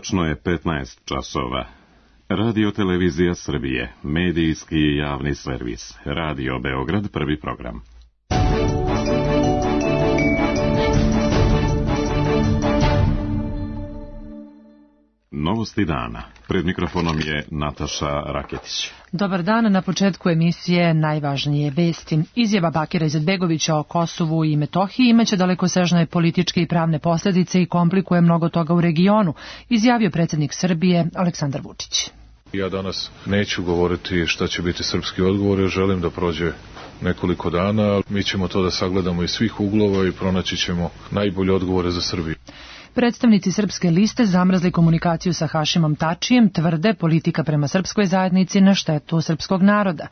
Tačno je 15 časova. Radio Televizija Srbije, medijski i javni servis. Radio Beograd, prvi program. Novosti dana. Pred mikrofonom je Nataša Raketić. Dobar dan, na početku emisije najvažnije vesti. Izjava Bakira Izetbegovića o Kosovu i Metohiji imaće dalekosežne političke i pravne posljedice i komplikuje mnogo toga u regionu, izjavio predsjednik Srbije Aleksandar Vučić. Ja danas neću govoriti šta će biti srpski odgovor, jer želim da prođe nekoliko dana. Mi ćemo to da sagledamo iz svih uglova i pronaći ćemo najbolje odgovore za Srbiju. Predstavnici Srpske liste zamrzli komunikaciju sa Hašimom Tačijem, tvrde politika prema srpskoj zajednici na štetu srpskog naroda.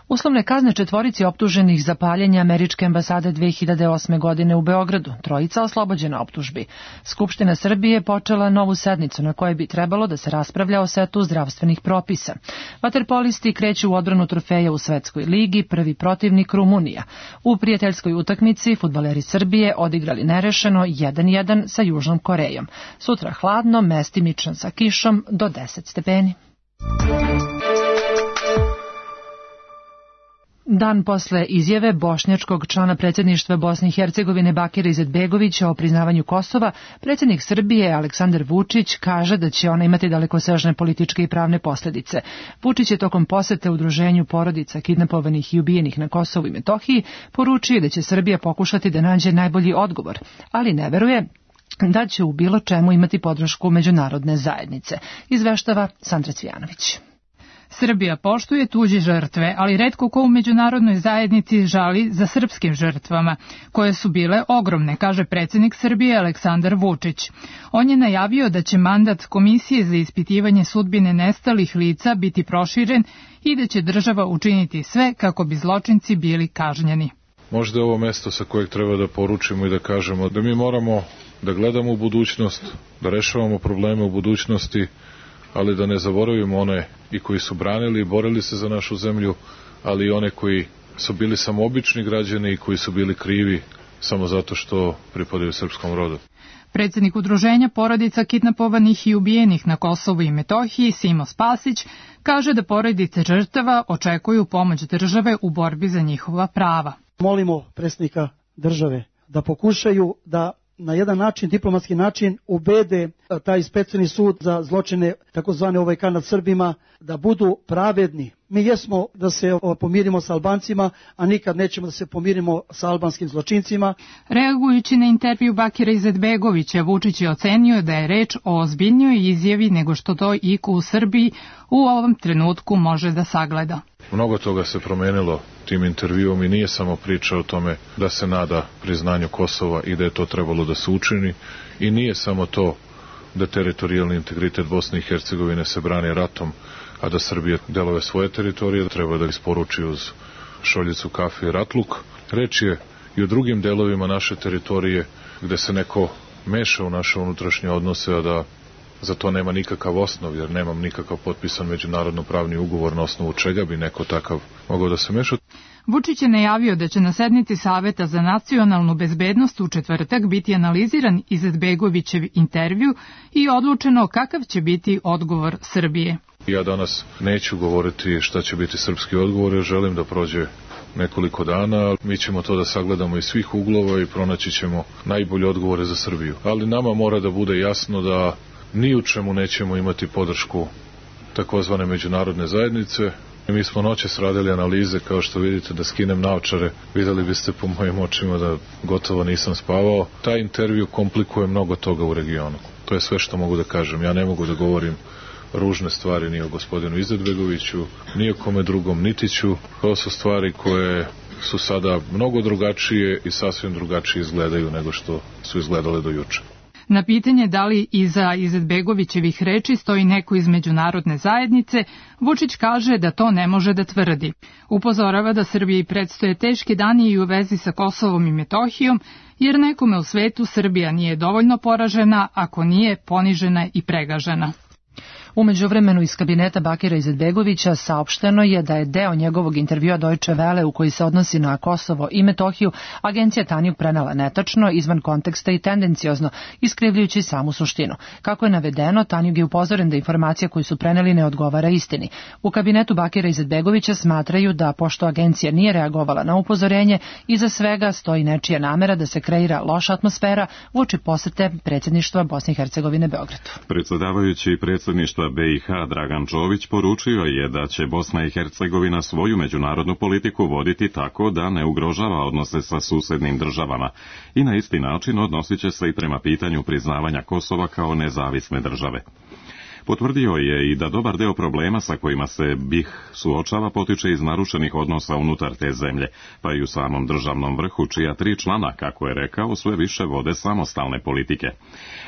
Uslovne kazne četvorici optuženih za paljenje američke ambasade 2008. godine u Beogradu, trojica oslobođena optužbi. Skupština Srbije počela novu sednicu na kojoj bi trebalo da se raspravlja o setu zdravstvenih propisa. Vaterpolisti kreću u odbranu trofeja u Svetskoj ligi, prvi protivnik Rumunija. U prijateljskoj utakmici fudbaleri Srbije odigrali nerešeno 1-1 sa Južnom Korejom. Sutra hladno, mestimično sa kišom do 10 stepeni. Dan posle izjave bošnjačkog člana predsjedništva Bosne i Hercegovine Bakira Izetbegovića o priznavanju Kosova, predsjednik Srbije Aleksandar Vučić kaže da će ona imati dalekosežne političke i pravne posljedice. Vučić je tokom posete udruženju porodica kidnapovanih i ubijenih na Kosovu i Metohiji poručio da će Srbija pokušati da nađe najbolji odgovor, ali ne veruje da će u bilo čemu imati podršku međunarodne zajednice, izveštava Sandra Cvijanović. Srbija poštuje tuđe žrtve, ali retko ko u međunarodnoj zajednici žali za srpskim žrtvama, koje su bile ogromne, kaže predsjednik Srbije Aleksandar Vučić. On je najavio da će mandat Komisije za ispitivanje sudbine nestalih lica biti proširen i da će država učiniti sve kako bi zločinci bili kažnjeni. Možda je ovo mesto sa kojeg treba da poručimo i da kažemo da mi moramo da gledamo u budućnost, da rešavamo probleme u budućnosti, ali da ne zaboravimo one i koji su branili i borili se za našu zemlju, ali i one koji su bili samo obični građani i koji su bili krivi samo zato što pripadaju srpskom rodu. Predsjednik udruženja porodica kidnapovanih i ubijenih na Kosovu i Metohiji, Simo Spasić, kaže da porodice žrtava očekuju pomoć države u borbi za njihova prava. Molimo predsjednika države da pokušaju da na jedan način, diplomatski način, ubede taj specijalni sud za zločine takozvane OVK nad Srbima da budu pravedni. Mi jesmo da se pomirimo sa Albancima, a nikad nećemo da se pomirimo sa albanskim zločincima. Reagujući na intervju Bakira Izetbegovića, Vučić je ocenio da je reč o ozbiljnijoj izjavi nego što to iko u Srbiji u ovom trenutku može da sagleda. Mnogo toga se promenilo tim intervjuom i nije samo priča o tome da se nada priznanju Kosova i da je to trebalo da se učini, i nije samo to da teritorijalni integritet Bosne i Hercegovine se brani ratom, a da Srbija delove svoje teritorije treba da isporuči uz šoljicu kafe i ratluk. Reč je i o drugim delovima naše teritorije gde se neko meša u naše unutrašnje odnose, a da za to nema nikakav osnov, jer nemam nikakav potpisan međunarodno pravni ugovor na osnovu čega bi neko takav mogao da se meša. Vučić je najavio da će na sednici Saveta za nacionalnu bezbednost u četvrtak biti analiziran Izetbegovićev intervju i odlučeno kakav će biti odgovor Srbije. Ja danas neću govoriti šta će biti srpski odgovor, jer želim da prođe nekoliko dana. Mi ćemo to da sagledamo iz svih uglova i pronaći ćemo najbolje odgovore za Srbiju. Ali nama mora da bude jasno da ni u čemu nećemo imati podršku takozvane međunarodne zajednice. Mi smo noćas radili analize, kao što vidite, da skinem naočare. Videli biste po mojim očima da gotovo nisam spavao. Taj intervju komplikuje mnogo toga u regionu. To je sve što mogu da kažem. Ja ne mogu da govorim ružne stvari ni o gospodinu Izetbegoviću, ni o kome drugom, niti ću. To su stvari koje su sada mnogo drugačije i sasvim drugačije izgledaju nego što su izgledale do juče. Na pitanje da li iza Izetbegovićevih reči stoji neko iz međunarodne zajednice, Vučić kaže da to ne može da tvrdi. Upozorava da Srbiji predstoje teški dani i u vezi sa Kosovom i Metohijom, jer nekome u svetu Srbija nije dovoljno poražena ako nije ponižena i pregažena. U međuvremenu iz kabineta Bakira Izetbegovića saopšteno je da je deo njegovog intervjua Deutsche Welle u koji se odnosi na Kosovo i Metohiju agencija Tanjug prenela netačno, izvan konteksta i tendenciozno, iskrivljujući samu suštinu. Kako je navedeno, Tanjug je upozoren da informacija koju su preneli ne odgovara istini. U kabinetu Bakira Izetbegovića smatraju da, pošto agencija nije reagovala na upozorenje, iza svega stoji nečija namera da se kreira loša atmosfera uoči posete predsjedništva Bosne i Hercegovine Beogradu. Predsjedavajući predsjedništva BiH Dragan Čović poručio je da će Bosna i Hercegovina svoju međunarodnu politiku voditi tako da ne ugrožava odnose sa susednim državama i na isti način odnosit će se i prema pitanju priznavanja Kosova kao nezavisne države. Potvrdio je i da dobar deo problema sa kojima se BiH suočava potiče iz narušenih odnosa unutar te zemlje, pa i u samom državnom vrhu, čija 3 člana, kako je rekao, sve više vode samostalne politike.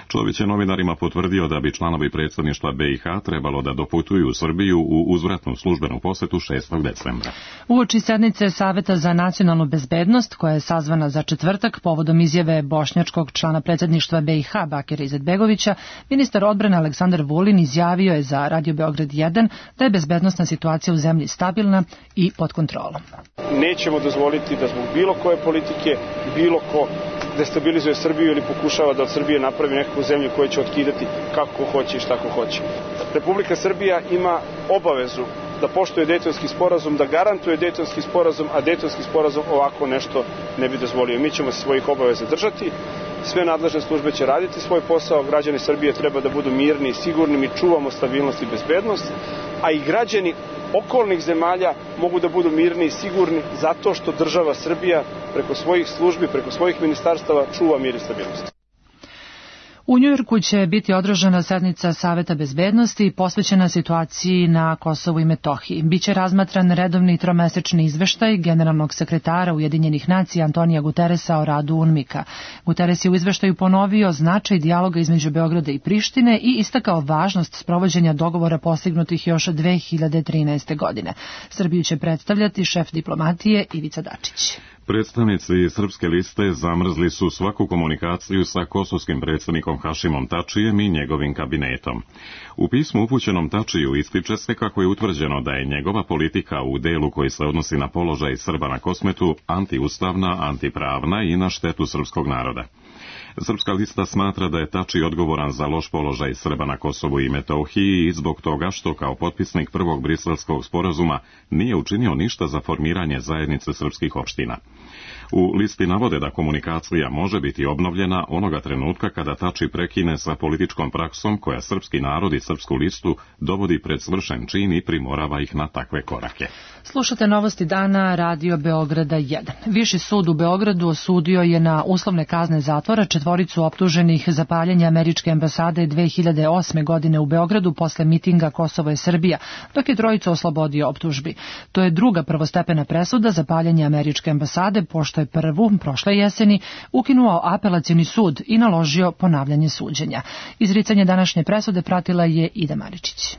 Čović je novinarima potvrdio da bi članovi predsjedništva BiH trebalo da doputuju u Srbiju u uzvratnu službenu posetu 6. decembra. Uoči sednice Saveta za nacionalnu bezbednost, koja je sazvana za četvrtak povodom izjave bošnjačkog člana predsjedništva BiH Bakira Izetbegovića, ministar odbrane Aleksandar Vulin izjavio je za Radio Beograd 1 da je bezbednosna situacija u zemlji stabilna i pod kontrolom. Nećemo dozvoliti da zbog bilo koje politike, bilo ko destabilizuje Srbiju ili pokušava da od Srbije napravi nekakvu zemlju koja će otkidati kako hoće i šta ko hoće. Republika Srbija ima obavezu da poštuje Dejtonski sporazum, da garantuje Dejtonski sporazum, a Dejtonski sporazum ovako nešto ne bi dozvolio. Mi ćemo se svojih obaveza držati, sve nadležne službe će raditi svoj posao, građani Srbije treba da budu mirni i sigurni, mi čuvamo stabilnost i bezbednost, a i građani okolnih zemalja mogu da budu mirni i sigurni zato što država Srbija preko svojih službi, preko svojih ministarstava čuva mir i stabilnost. U Njujorku će biti održana sednica Saveta bezbednosti posvećena situaciji na Kosovu i Metohiji. Biće razmatran redovni tromesečni izveštaj generalnog sekretara Ujedinjenih nacija Antonija Guteresa o radu UNMIK-a. Guteres je u izveštaju ponovio značaj dijaloga između Beograda i Prištine i istakao važnost sprovođenja dogovora postignutih još 2013. godine. Srbiju će predstavljati šef diplomatije Ivica Dačić. Predstavnici Srpske liste zamrzli su svaku komunikaciju sa kosovskim predsjednikom Hašimom Tačijem i njegovim kabinetom. U pismu upućenom Tačiju ističe se kako je utvrđeno da je njegova politika u delu koji se odnosi na položaj Srba na Kosmetu antiustavna, antipravna i na štetu srpskog naroda. Srpska lista smatra da je Tači odgovoran za loš položaj Srba na Kosovu i Metohiji i zbog toga što kao potpisnik prvog briselskog sporazuma nije učinio ništa za formiranje zajednice srpskih opština. U listi navode da komunikacija može biti obnovljena onoga trenutka kada Tači prekine sa političkom praksom koja srpski narod i srpsku listu dovodi pred svršen čin i primorava ih na takve korake. Slušate novosti dana Radio Beograda 1. Viši sud u Beogradu osudio je na uslovne kazne zatvora 4 optuženih za paljenje američke ambasade 2008. godine u Beogradu posle mitinga Kosovo je Srbija, dok je 3 oslobodio optužbi. To je druga prvostepena presuda za paljenje američke ambasade, pošto je prvu, prošle jeseni, ukinuo apelacioni sud i naložio ponavljanje suđenja. Izricanje današnje presude pratila je Ida Maričić.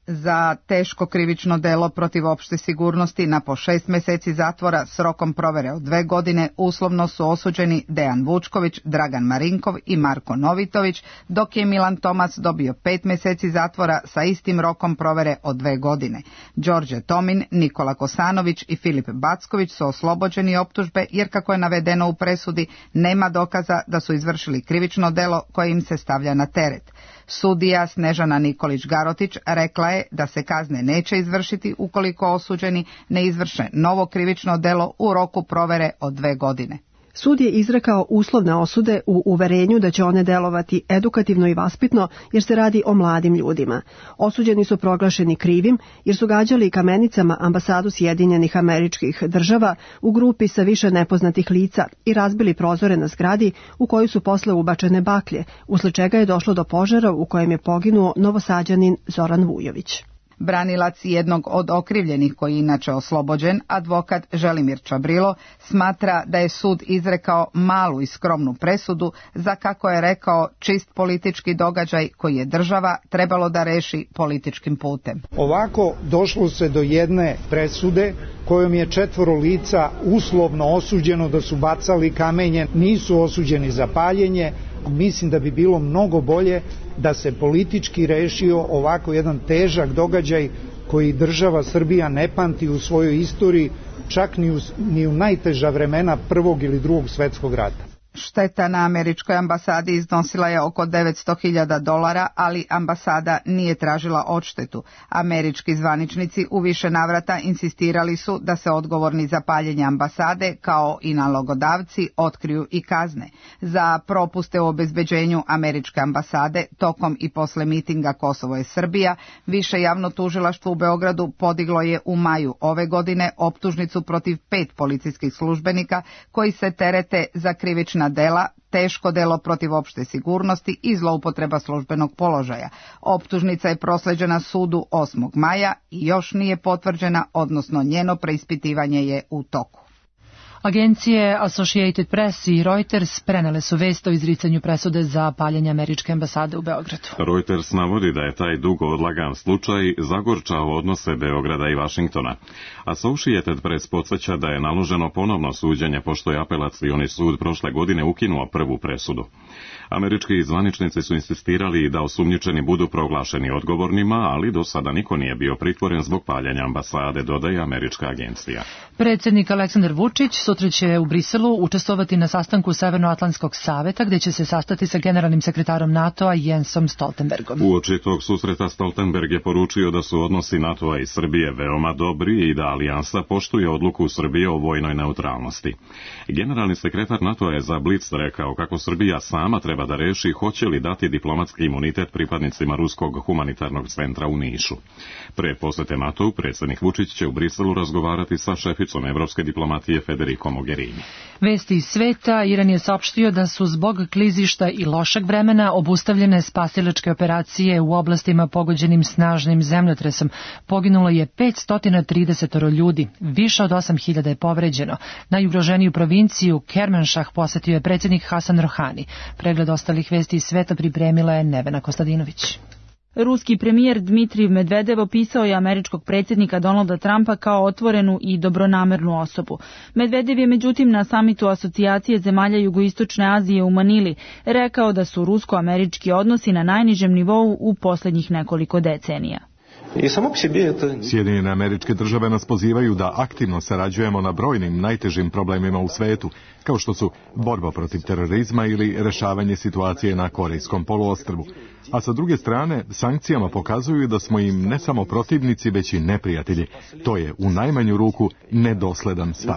Za teško krivično delo protiv opšte sigurnosti na po 6 meseci zatvora s rokom provere od 2 godine uslovno su osuđeni Dejan Vučković, Dragan Marinkov i Marko Novitović, dok je Milan Tomas dobio 5 meseci zatvora sa istim rokom provere od 2 godine. Đorđe Tomin, Nikola Kosanović i Filip Backović su oslobođeni optužbe jer, kako je navedeno u presudi, nema dokaza da su izvršili krivično delo koje im se stavlja na teret. Sudija Snežana Nikolić-Garotić rekla je da se kazne neće izvršiti ukoliko osuđeni ne izvrše novo krivično delo u roku provere od 2 godine. Sud je izrekao uslovne osude u uverenju da će one delovati edukativno i vaspitno jer se radi o mladim ljudima. Osuđeni su proglašeni krivim jer su gađali kamenicama ambasadu Sjedinjenih Američkih Država u grupi sa više nepoznatih lica i razbili prozore na zgradi u koju su posle ubačene baklje, usled čega je došlo do požara u kojem je poginuo Novosađanin Zoran Vujović. Branilac jednog od okrivljenih, koji je inače oslobođen, advokat Želimir Čabrilo, smatra da je sud izrekao malu i skromnu presudu za, kako je rekao, čist politički događaj koji je država trebalo da reši političkim putem. Ovako došlo se do jedne presude kojom je 4 lica uslovno osuđeno da su bacali kamenje, nisu osuđeni za paljenje, mislim da bi bilo mnogo bolje da se politički rešio ovako jedan težak događaj koji država Srbija ne pamti u svojoj istoriji, čak ni u najteža vremena Prvog ili Drugog svetskog rata. Šteta na američkoj ambasadi iznosila je oko $900.000, ali ambasada nije tražila odštetu. Američki zvaničnici u više navrata insistirali su da se odgovorni za paljenje ambasade, kao i nalogodavci, otkriju i kazne. Za propuste u obezbeđenju američke ambasade tokom i posle mitinga Kosovo je Srbija, više javno tužilaštvo u Beogradu podiglo je u maju ove godine optužnicu protiv 5 policijskih službenika koji se terete za krivična dela, teško delo protiv opšte sigurnosti i zloupotreba službenog položaja. Optužnica je prosleđena sudu 8. maja i još nije potvrđena, odnosno njeno preispitivanje je u toku. Agencije Associated Press i Reuters prenele su vest o izricanju presude za paljenje američke ambasade u Beogradu. Reuters navodi da je taj dugo odlagan slučaj zagorčao odnose Beograda i Vašingtona. Associated Press podsjeća da je naloženo ponovno suđenje pošto je apelacioni sud prošle godine ukinuo prvu presudu. Američki zvaničnici su insistirali da osumnjičeni budu proglašeni odgovornima, ali do sada niko nije bio pritvoren zbog paljenja ambasade, dodaje američka agencija. Predsjednik Aleksandar Vučić sutra će u Briselu učestvovati na sastanku Severnoatlantskog saveta, gde će se sastati sa generalnim sekretarom NATO-a Jensom Stoltenbergom. Uoči tog susreta Stoltenberg je poručio da su odnosi NATO-a i Srbije veoma dobri i da alijansa poštuje odluku Srbije o vojnoj neutralnosti. Generalni sekretar NATO-a je za Blic rekao kako Srbija sama treba da reši hoće li dati diplomatski imunitet pripadnicima Ruskog humanitarnog centra u Nišu. Pre posete NATO-u predsjednik Vučić će u Briselu razgovarati sa šeficom evropske diplomatije Federico Mogherini. Vesti iz sveta. Iran je saopštio da su zbog klizišta i lošeg vremena obustavljene spasilačke operacije u oblastima pogođenim snažnim zemljotresom. Poginulo je 530 ljudi, više od 8.000 je povređeno. Najugroženiju provinciju Kermanšah posetio je predsjednik Hasan Rohani. Pregled ostalih vesti iz sveta pripremila je Nevena Kostadinović. Ruski premijer Dmitrij Medvedev opisao je američkog predsjednika Donalda Trumpa kao otvorenu i dobronamernu osobu. Medvedev je međutim na samitu asocijacije zemalja Jugoistočne Azije u Manili rekao da su rusko-američki odnosi na najnižem nivou u posljednjih nekoliko decenija. Sjedinjene Američke Države nas pozivaju da aktivno sarađujemo na brojnim najtežim problemima u svetu, kao što su borba protiv terorizma ili rešavanje situacije na Korejskom poluostrvu. A sa druge strane, sankcijama pokazuju da smo im ne samo protivnici, već i neprijatelji. To je u najmanju ruku nedosledan stav.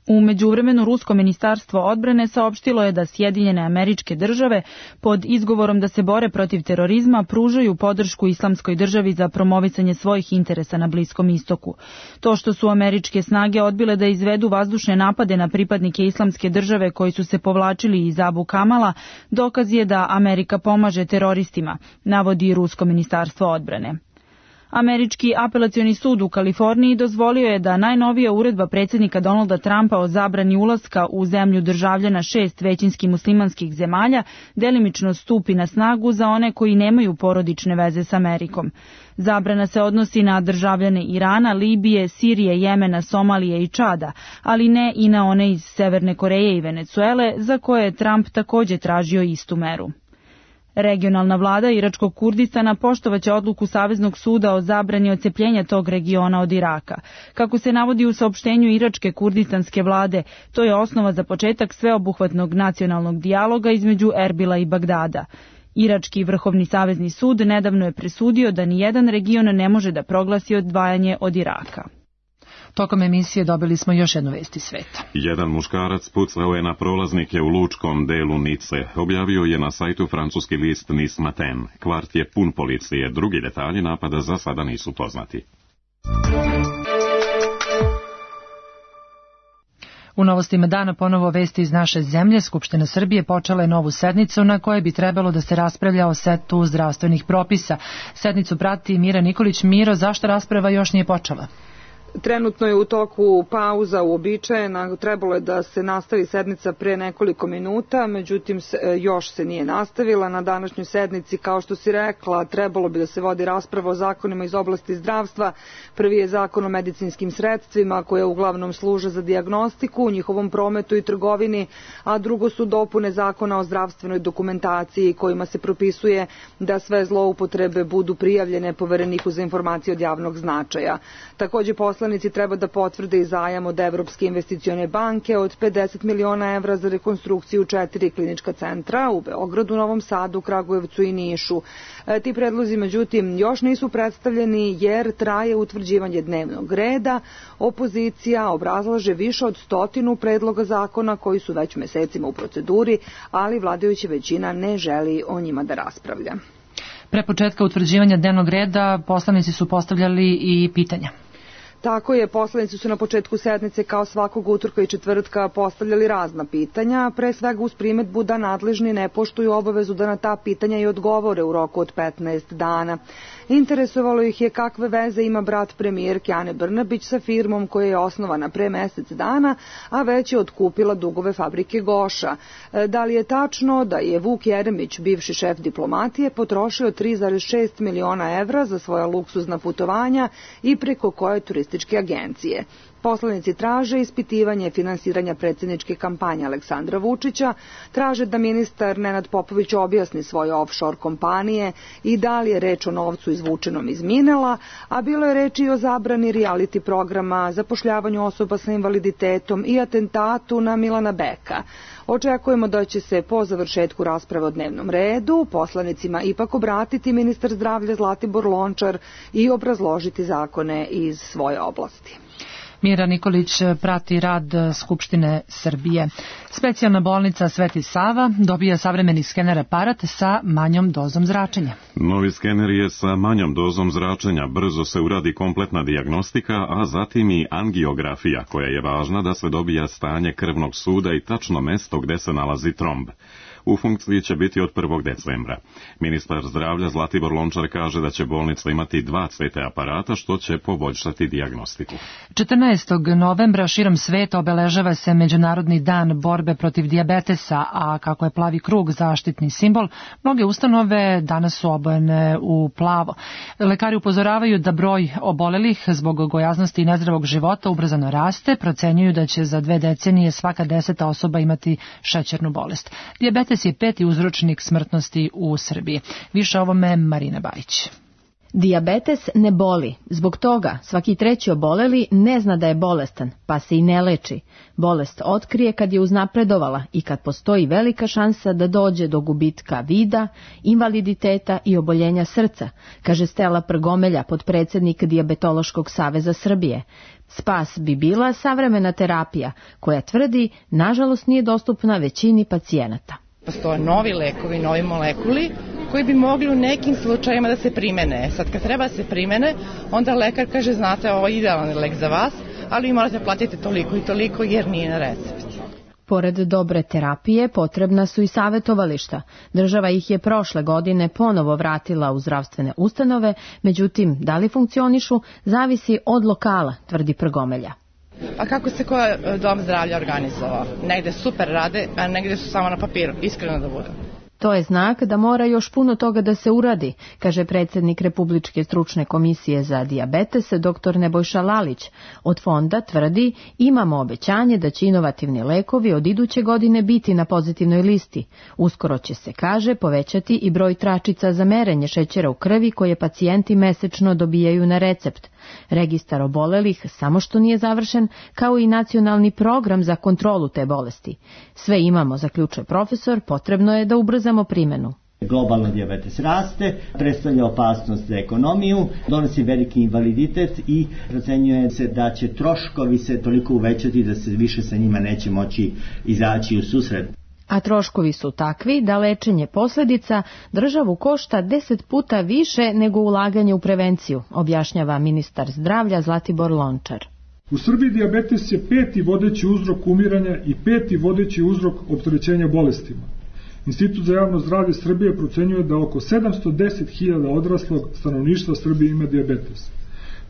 U međuvremenu Rusko ministarstvo odbrane saopštilo je da Sjedinjene Američke Države pod izgovorom da se bore protiv terorizma pružaju podršku Islamskoj državi za promovisanje svojih interesa na Bliskom istoku. To što su američke snage odbile da izvedu vazdušne napade na pripadnike Islamske države koji su se povlačili iz Abu Kamala, dokaz je da Amerika pomaže teroristima, navodi Rusko ministarstvo odbrane. Američki apelacioni sud u Kaliforniji dozvolio je da najnovija uredba predsjednika Donalda Trumpa o zabrani ulaska u zemlju državljana 6 većinski muslimanskih zemalja delimično stupi na snagu za one koji nemaju porodične veze s Amerikom. Zabrana se odnosi na državljane Irana, Libije, Sirije, Jemena, Somalije i Čada, ali ne i na one iz Severne Koreje i Venecuele, za koje je Trump također tražio istu meru. Regionalna vlada Iračkog Kurdistana poštovaće odluku Saveznog suda o zabrani odcepljenja tog regiona od Iraka. Kako se navodi u saopštenju Iračke kurdistanske vlade, to je osnova za početak sveobuhvatnog nacionalnog dijaloga između Erbila i Bagdada. Irački vrhovni savezni sud nedavno je presudio da nijedan region ne može da proglasi odvajanje od Iraka. Tokom emisije dobili smo još jednu vest iz sveta. Jedan muškarac pucao je na prolaznike u lučkom delu Nice. Objavio je na sajtu francuski list Nice Matin. Kvart je pun policije. Drugi detalji napada za sada nisu poznati. U novostima dana ponovo vesti iz naše zemlje. Skupština Srbije počela je novu sednicu na kojoj bi trebalo da se raspravlja o setu zdravstvenih propisa. Sednicu prati Mira Nikolić. Miro, zašto rasprava još nije počela? Trenutno je u toku pauza uobičajena, trebalo je da se nastavi sednica pre nekoliko minuta, međutim još se nije nastavila. Na današnjoj sednici, kao što si rekla, trebalo bi da se vodi rasprava o zakonima iz oblasti zdravstva. Prvi je zakon o medicinskim sredstvima koje uglavnom služe za dijagnostiku, njihovom prometu i trgovini, a drugo su dopune zakona o zdravstvenoj dokumentaciji kojima se propisuje da sve zloupotrebe budu prijavljene Povereniku za informacije od javnog značaja. Takođe, poslanici treba da potvrde i zajam od Evropske investicione banke od 50 miliona evra za rekonstrukciju 4 klinička centra u Beogradu, Novom Sadu, Kragujevcu i Nišu. Ti predlozi, međutim, još nisu predstavljeni jer traje utvrđivanje dnevnog reda. Opozicija obrazlaže više od 100 predloga zakona koji su već mesecima u proceduri, ali vladajuća većina ne želi o njima da raspravlja. Pre početka utvrđivanja dnevnog reda poslanici su postavljali i pitanja. Tako je, poslanici su na početku sednice kao svakog utorka i četvrtka postavljali razna pitanja, pre svega uz primedbu da nadležni ne poštuju obavezu da na ta pitanja i odgovore u roku od 15 dana. Interesovalo ih je kakve veze ima brat premijerke Ane Brnabić sa firmom koja je osnovana pre mesec dana, a već je otkupila dugove fabrike Goša. Da li je tačno da je Vuk Jeremić, bivši šef diplomatije, potrošio 3,6 miliona evra za svoja luksuzna putovanja i preko koje turističke agencije? Poslanici traže ispitivanje finansiranja predsjedničke kampanje Aleksandra Vučića, traže da ministar Nenad Popović objasni svoje offshore kompanije i da li je reč o novcu izvučenom iz Minela, a bilo je reči i o zabrani reality programa, zapošljavanju osoba sa invaliditetom i atentatu na Milana Beka. Očekujemo da će se po završetku rasprave o dnevnom redu poslanicima ipak obratiti ministar zdravlja Zlatibor Lončar i obrazložiti zakone iz svoje oblasti. Mira Nikolić prati rad Skupštine Srbije. Specijalna bolnica Sveti Sava dobija savremeni skener aparat sa manjom dozom zračenja. Novi skener je sa manjom dozom zračenja. Brzo se uradi kompletna dijagnostika, a zatim i angiografija, koja je važna da se dobija stanje krvnog suda i tačno mesto gde se nalazi tromb. U funkciji će biti od 1. decembra. Ministar zdravlja Zlatibor Lončar kaže da će bolnica imati 2 CT aparata, što će poboljšati dijagnostiku. 14. novembra širom sveta obeležava se Međunarodni dan borbe protiv dijabetesa, a kako je plavi krug zaštitni simbol, mnoge ustanove danas su obojene u plavo. Lekari upozoravaju da broj obolelih zbog gojaznosti i nezdravog života ubrzano raste, procenjuju da će za 2 decenije svaka 10. osoba imati šećernu bolest. Dijabetes je 5. uzročnik smrtnosti u Srbiji. Više o ovome Marina Bajić. Dijabetes ne boli. Zbog toga svaki 3. oboleli ne zna da je bolestan, pa se i ne leči. Bolest otkrije kad je uznapredovala i kad postoji velika šansa da dođe do gubitka vida, invaliditeta i oboljenja srca, kaže Stela Prgomelja, potpredsednik Dijabetološkog saveza Srbije. Spas bi bila savremena terapija, koja tvrdi, nažalost, nije dostupna većini pacijenata. Postoje novi lekovi, novi molekuli koji bi mogli u nekim slučajima da se primene. Sad kad treba da se primene, onda lekar kaže, znate, ovo je idealan lek za vas, ali vi morate platiti toliko i toliko jer nije na recept. Pored dobre terapije, potrebna su i savjetovališta. Država ih je prošle godine ponovo vratila u zdravstvene ustanove, međutim, da li funkcionišu, zavisi od lokala, tvrdi Prgomelja. Pa kako se koji dom zdravlja organizovao? Negde super rade, a negde su samo na papiru, iskreno da budem. To je znak da mora još puno toga da se uradi, kaže predsjednik Republičke stručne komisije za dijabetes, dr. Nebojša Lalić. Od fonda tvrdi, imamo obećanje da će inovativni lekovi od iduće godine biti na pozitivnoj listi. Uskoro će se, kaže, povećati i broj tračica za merenje šećera u krvi koje pacijenti mesečno dobijaju na recept. Registar obolelih samo što nije završen, kao i nacionalni program za kontrolu te bolesti. Sve imamo, zaključuje profesor, potrebno je da ubrzamo primjenu. Globalno dijabetes raste, predstavlja opasnost za ekonomiju, donosi veliki invaliditet i procenjuje se da će troškovi se toliko uvećati da se više sa njima neće moći izaći u susret. A troškovi su takvi da lečenje posljedica državu košta 10 puta više nego ulaganje u prevenciju, objašnjava ministar zdravlja Zlatibor Lončar. U Srbiji dijabetes je 5. vodeći uzrok umiranja i 5. vodeći uzrok opterećenja bolestima. Institut za javno zdravlje Srbije procenjuje da oko 710.000 odraslog stanovništva Srbije ima dijabetes.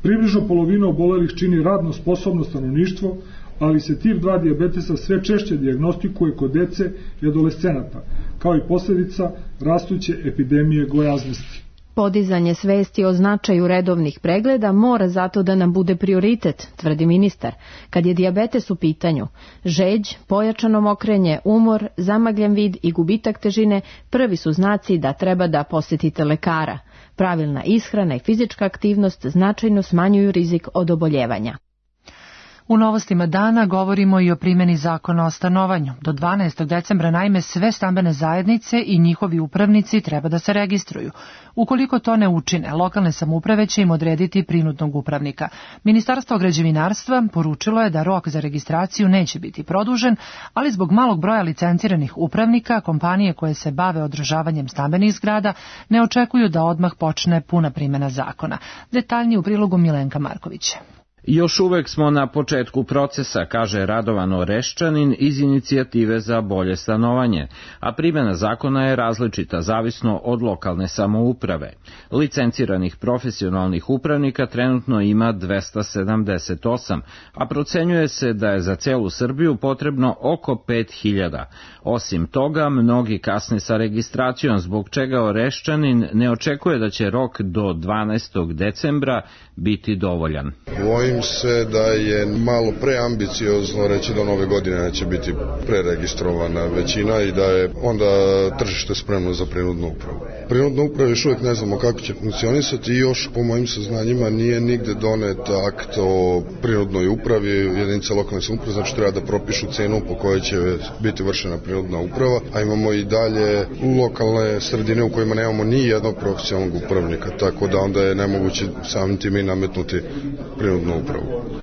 Približno polovina obolelih čini radno sposobno stanovništvo, ali se tip 2 dijabetesa sve češće dijagnostikuje kod dece i adolescenata, kao i posljedica rastuće epidemije gojaznosti. Podizanje svesti o značaju redovnih pregleda mora zato da nam bude prioritet, tvrdi ministar. Kad je dijabetes u pitanju, žeđ, pojačano mokrenje, umor, zamagljen vid i gubitak težine prvi su znaci da treba da posjetite lekara. Pravilna ishrana i fizička aktivnost značajno smanjuju rizik od oboljevanja. U novostima dana govorimo i o primjeni zakona o stanovanju. Do 12. decembra naime sve stambene zajednice i njihovi upravnici treba da se registruju. Ukoliko to ne učine, lokalne samouprave će im odrediti prinudnog upravnika. Ministarstvo građevinarstva poručilo je da rok za registraciju neće biti produžen, ali zbog malog broja licenciranih upravnika, kompanije koje se bave održavanjem stambenih zgrada ne očekuju da odmah počne puna primjena zakona. Detaljnije u prilogu Milenka Markovića. Još uvek smo na početku procesa, kaže Radovan Oreščanin iz Inicijative za bolje stanovanje, a primjena zakona je različita zavisno od lokalne samouprave. Licenciranih profesionalnih upravnika trenutno ima 278, a procenjuje se da je za celu Srbiju potrebno oko 5000. Osim toga, mnogi kasne sa registracijom, zbog čega Oreščanin ne očekuje da će rok do 12. decembra biti dovoljan. Bojim se da je malo preambiciozno reći da nove godine neće biti preregistrovana većina i da je onda tržište spremno za prinudnu upravu. Prinudna uprava još uvijek ne znamo kako će funkcionisati i još po mojim saznanjima nije nigde donet akt o prinudnoj upravi jedinice lokalne samouprave, znači treba da propišu cenu po kojoj će biti vršena prinudna uprava, a imamo i dalje lokalne sredine u kojima nemamo ni jednog profesionalnog upravnika, tako da onda je nemoguće samim tim i nametnuti prinudnu upravu.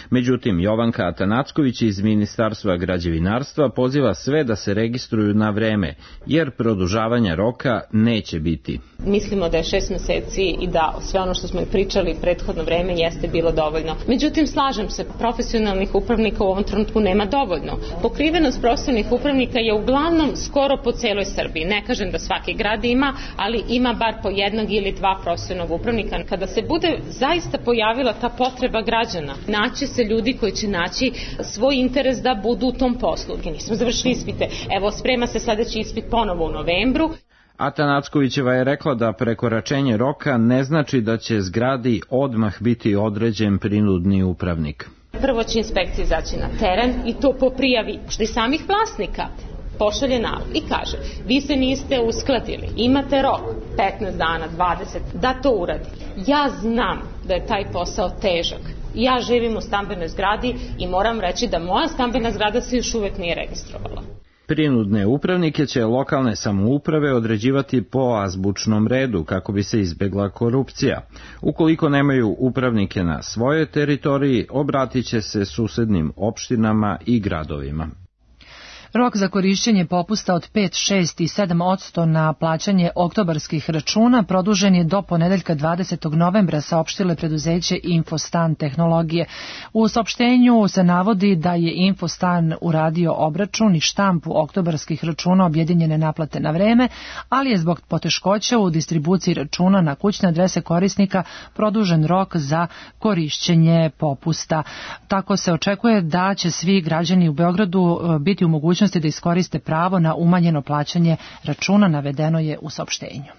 Međutim, Jovanka Atanacković iz Ministarstva građevinarstva poziva sve da se registruju na vreme, jer produžavanja roka neće biti. Mislimo da je 6 meseci i da sve ono što smo pričali prethodno vreme jeste bilo dovoljno. Međutim, slažem se, profesionalnih upravnika u ovom trenutku nema dovoljno. Pokrivenost profesionalnih upravnika je uglavnom skoro po celoj Srbiji. Ne kažem da svaki grad ima, ali ima bar po jednog ili dva profesionalnog upravnika. Kada se bude zaista pojavila ta potreba građana, naći se ljudi koji će naći svoj interes da budu u tom poslu. Mi nismo završili ispite. Evo, sprema se sledeći ispit ponovo u novembru. Atanackovićeva je rekla da prekoračenje roka ne znači da će zgradi odmah biti određen prinudni upravnik. Prvo će inspekcija izaći na teren i to po prijavi što i samih vlasnika. Pošalje nalog i kaže, vi se niste uskladili, imate rok 15 dana, 20, da to uradi. Ja znam da je taj posao težak. Ja živim u stambenoj zgradi i moram reći da moja stambena zgrada se još uvek nije registrovala. Prinudne upravnike će lokalne samouprave određivati po azbučnom redu kako bi se izbegla korupcija. Ukoliko nemaju upravnike na svojoj teritoriji, obratit će se susednim opštinama i gradovima. Rok za korišćenje popusta od 5, 6 i 7% na plaćanje oktobarskih računa produžen je do ponedeljka 20. novembra, saopštile preduzeće Infostan tehnologije. U saopštenju se navodi da je Infostan uradio obračun i štampu oktobarskih računa objedinjene naplate na vreme, ali je zbog poteškoća u distribuciji računa na kućne adrese korisnika produžen rok za korišćenje popusta. Tako se očekuje da će svi građani u Beogradu biti u mogućnosti da iskoriste pravo na umanjeno plaćanje računa, navedeno je u saopštenju.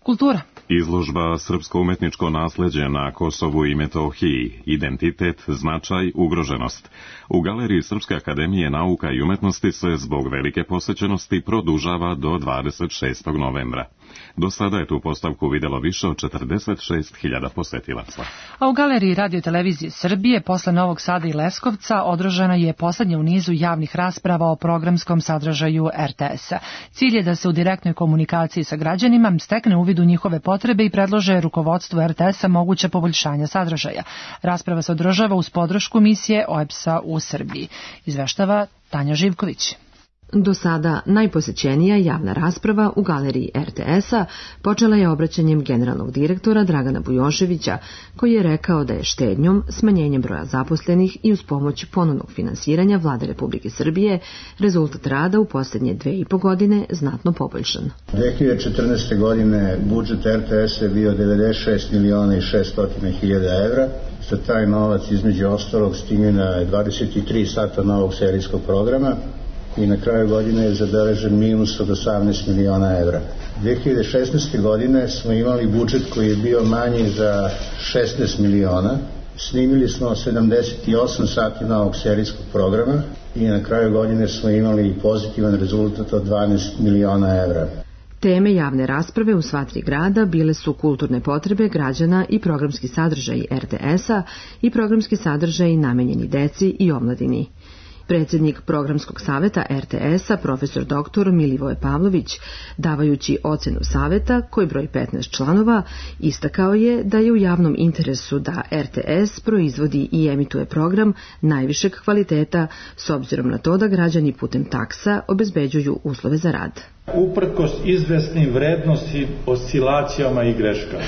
Kultura. Izložba Srpsko umetničko nasleđe na Kosovu i Metohiji, identitet, značaj, ugroženost. U galeriji Srpske akademije nauka i umetnosti se zbog velike posećenosti produžava do 26. novembra. Do sada je tu postavku videlo više od 46.000 posetilaca. A u galeriji Radio-televizije Srbije posle Novog Sada i Leskovca održana je poslednja u nizu javnih rasprava o programskom sadržaju RTS-a. Cilj je da se u direktnoj komunikaciji sa građanima stekne uvid u njihove potrebe i predlože rukovodstvu RTS-a moguće poboljšanja sadržaja. Rasprava se održava uz podršku misije OEBS-a u Srbiji. Izveštava Tanja Živković. Do sada najposećenija javna rasprava u galeriji RTS-a počela je obraćanjem generalnog direktora Dragana Bujoševića, koji je rekao da je štednjom, smanjenjem broja zaposlenih i uz pomoć ponovnog finansiranja Vlade Republike Srbije rezultat rada u posljednje 2,5 godine znatno poboljšan. 2014. godine budžet RTS-a je bio 96.600.000 evra. Za taj novac između ostalog snimljena je 23 sata novog serijskog programa i na kraju godine je zabeležen minus od 18 miliona evra. 2016. godine smo imali budžet koji je bio manji za 16 miliona. Snimili smo 78 sati novog serijskog programa i na kraju godine smo imali pozitivan rezultat od 12 miliona evra. Teme javne rasprave u sva 3 grada bile su kulturne potrebe građana i programski sadržaji RTS-a i programski sadržaji namenjeni deci i omladini. Predsjednik programskog saveta RTS-a, profesor dr. Milivoje Pavlović, davajući ocenu saveta, koji broji 15 članova, istakao je da je u javnom interesu da RTS proizvodi i emituje program najvišeg kvaliteta, s obzirom na to da građani putem taksa obezbeđuju uslove za rad. Uprkos izvesnim vrednosti, oscilacijama i greškama,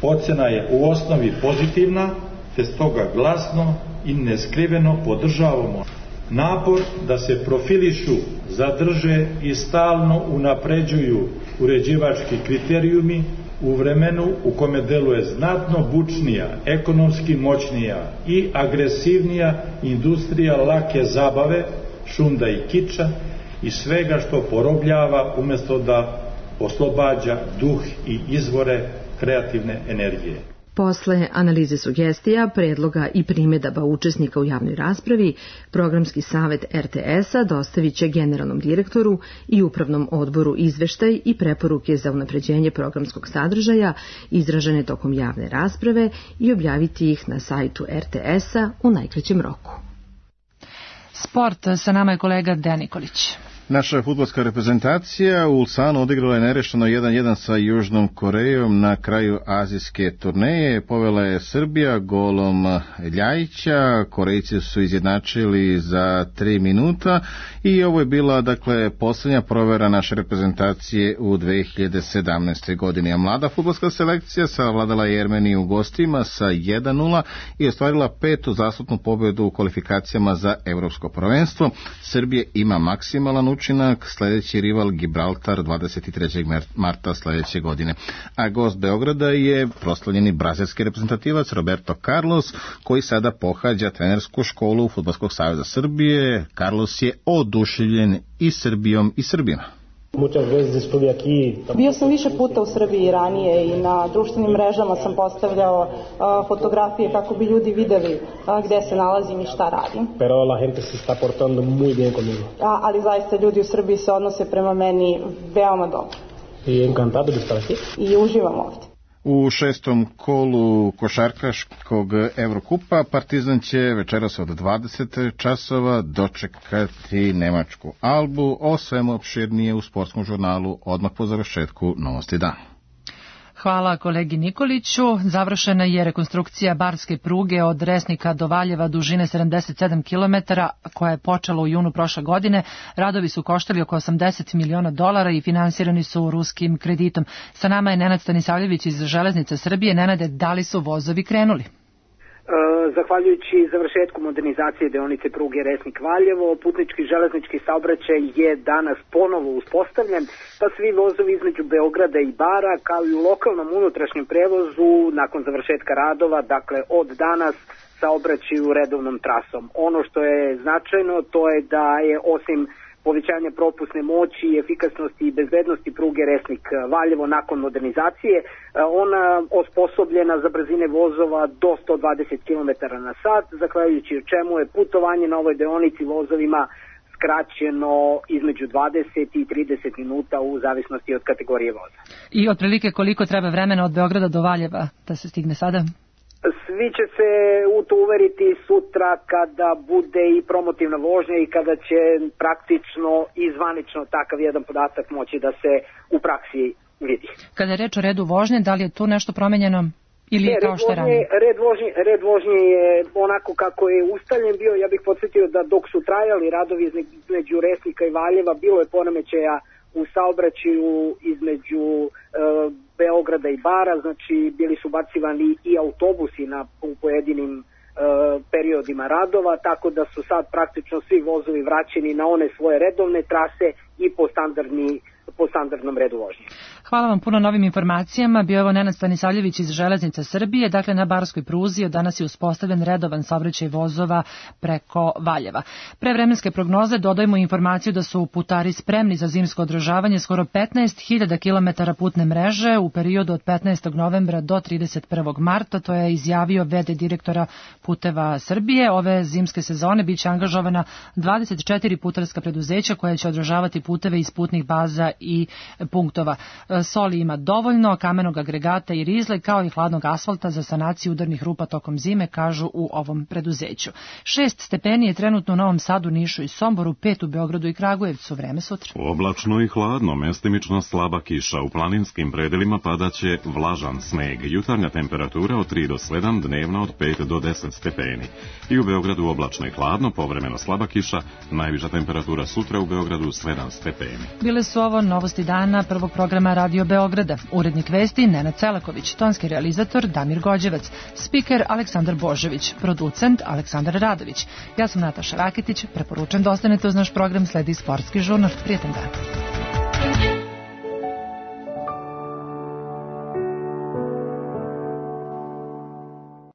ocena je u osnovi pozitivna, te stoga glasno i neskriveno podržavamo napor da se profilišu, zadrže i stalno unapređuju uređivački kriterijumi u vremenu u kome deluje znatno bučnija, ekonomski moćnija i agresivnija industrija lake zabave, šunda i kiča i svega što porobljava umjesto da oslobađa duh i izvore kreativne energije. Posle analize sugestija, predloga i primedaba učesnika u javnoj raspravi, programski savet RTS-a dostavit će generalnom direktoru i upravnom odboru izveštaj i preporuke za unapređenje programskog sadržaja izražene tokom javne rasprave i objaviti ih na sajtu RTS-a u najkraćem roku. Sport, sa nama je kolega Dejan Nikolić. Naša fudbalska reprezentacija u Ulsanu odigrala je nerešeno 1-1 sa Južnom Korejom na kraju azijske turneje. Povela je Srbija golom Ljajića, Korejci su izjednačili za 3 minuta i ovo je bila posljednja provera naše reprezentacije u 2017. godini. A mlada fudbalska selekcija savladala je Jermeniju u gostima sa 1-0 i ostvarila 5. zaslužnu pobjedu u kvalifikacijama za Evropsko prvenstvo. Srbija ima maksimalan učinak, sljedeći rival Gibraltar 23. marta sljedeće godine. A gost Beograda je proslavljeni brazilski reprezentativac Roberto Carlos, koji sada pohađa trenersku školu Fudbalskog saveza Srbije. Carlos je oduševljen i Srbijom i Srbima. Bio sam više puta u Srbiji ranije i na društvenim mrežama sam postavljao fotografije kako bi ljudi videli gde se nalazim i šta radim. Ali zaista ljudi u Srbiji se odnose prema meni veoma dobro. I uživam ovdje. U 6. kolu košarkaškog Evrokupa Partizan će večeras od 20 časova dočekati nemačku Albu. O svemu opširnije u sportskom žurnalu odmah po završetku Novosti dan. Hvala kolegi Nikoliću. Završena je rekonstrukcija barske pruge od Resnika do Valjeva dužine 77 km, koja je počela u junu prošle godine. Radovi su koštali oko $80 miliona i finansirani su ruskim kreditom. Sa nama je Nenad Stanisavljević iz Železnica Srbije. Nenade, da li su vozovi krenuli? Zahvaljujući završetku modernizacije deonice pruge Resnik-Valjevo, putnički železnički saobraćaj je danas ponovo uspostavljen, pa svi vozovi između Beograda i Bara, kao i u lokalnom unutrašnjem prevozu, nakon završetka radova, dakle od danas, saobraćaju redovnom trasom. Ono što je značajno, to je da je osim povećanja propusne moći, efikasnosti i bezbednosti pruge Resnik-Valjevo nakon modernizacije, ona osposobljena za brzine vozova do 120 km na sat, zahvaljujući čemu je putovanje na ovoj deonici vozovima skraćeno između 20 i 30 minuta u zavisnosti od kategorije voza. I otprilike koliko treba vremena od Beograda do Valjeva da se stigne sada? Svi će se u to uveriti sutra kada bude i promotivna vožnja i kada će praktično i zvanično takav jedan podatak moći da se u praksi vidi. Kada je reč o redu vožnje, da li je tu nešto promenjeno Ili je kao što ranije? Red vožnje je onako kako je ustaljen bio. Ja bih podsjetio da dok su trajali radovi između Resnika i Valjeva, bilo je poremećaja u saobraćaju između Beograda i Bara, znači bili su bacivani i autobusi u pojedinim periodima radova, tako da su sad praktično svi vozovi vraćeni na one svoje redovne trase i po standardnom redu vožnje. Hvala vam puno na ovim informacijama. Bio je ovo Nenad Stanisavljević iz Železnica Srbije. Dakle, na Barskoj pruzi od danas je uspostavljen redovan saobraćaj vozova preko Valjeva. Pre vremenske prognoze dodajemo informaciju da su putari spremni za zimsko održavanje skoro 15.000 km putne mreže u periodu od 15. novembra do 31. marta. To je izjavio v.d. direktora Puteva Srbije. Ove zimske sezone biće angažovana 24 putarska preduzeća koja će održavati puteve iz putnih baza i punktova. Soli ima dovoljno, kamenog agregata i rizle, kao i hladnog asfalta za sanaciju udarnih rupa tokom zime, kažu u ovom preduzeću. 6 stepeni je trenutno u Novom Sadu, Nišu i Somboru, 5 u Beogradu i Kragujevcu. Vreme sutra. Oblačno i hladno, mestimično slaba kiša. U planinskim predelima padaće vlažan sneg. Jutarnja temperatura od 3 do 7, dnevna od 5 do 10 stepeni. I u Beogradu oblačno i hladno, povremeno slaba kiša, najviša temperatura sutra u Beogradu 7 stepeni. Bile su ovo novosti dana prvog programa Radio Beograda. Urednik vesti Nenad Celaković, tonski realizator Damir Gođevac, spiker Aleksandar Božević, producent Aleksandar Radović. Ja sam Nataša Raketić, preporučujem da ostanete uz naš program, sledi sportski žurnal. Prijetan dan.